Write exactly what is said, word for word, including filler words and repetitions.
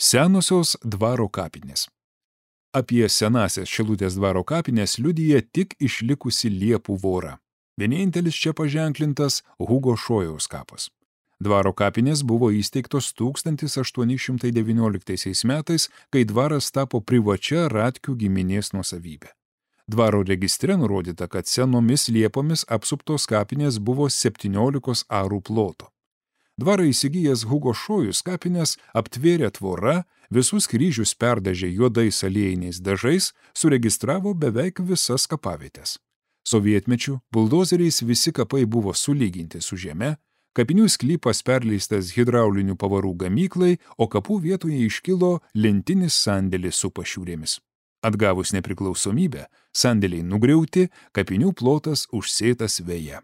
Senosios dvaro kapinės. Apie senąsias Šilutės dvaro kapinės liudija tik išlikusi liepų vora. Vienintelis čia paženklintas Hugo Šojaus kapas. Dvaro kapinės buvo įsteigtos tūkstantis aštuoni šimtai devynioliktaisiais metais, kai dvaras tapo privačia Ratkių giminės nuosavybė. Dvaro registre nurodyta, kad senomis liepomis apsuptos kapinės buvo septyniolikos arų ploto. Dvarą įsigijęs Hugo Šojus kapinės aptvėrė tvora, visus kryžius perdažė juodais aliejiniais dažais, suregistravo beveik visas kapavietės. Sovietmečiu buldozeriais visi kapai buvo sulyginti su žeme, kapinių sklypas perleistas hidraulinių pavarų gamyklai, o kapų vietoje iškilo lentinis sandėlis su pašiūrėmis. Atgavus nepriklausomybę, sandėliai nugriauti, kapinių plotas užsėtas veja.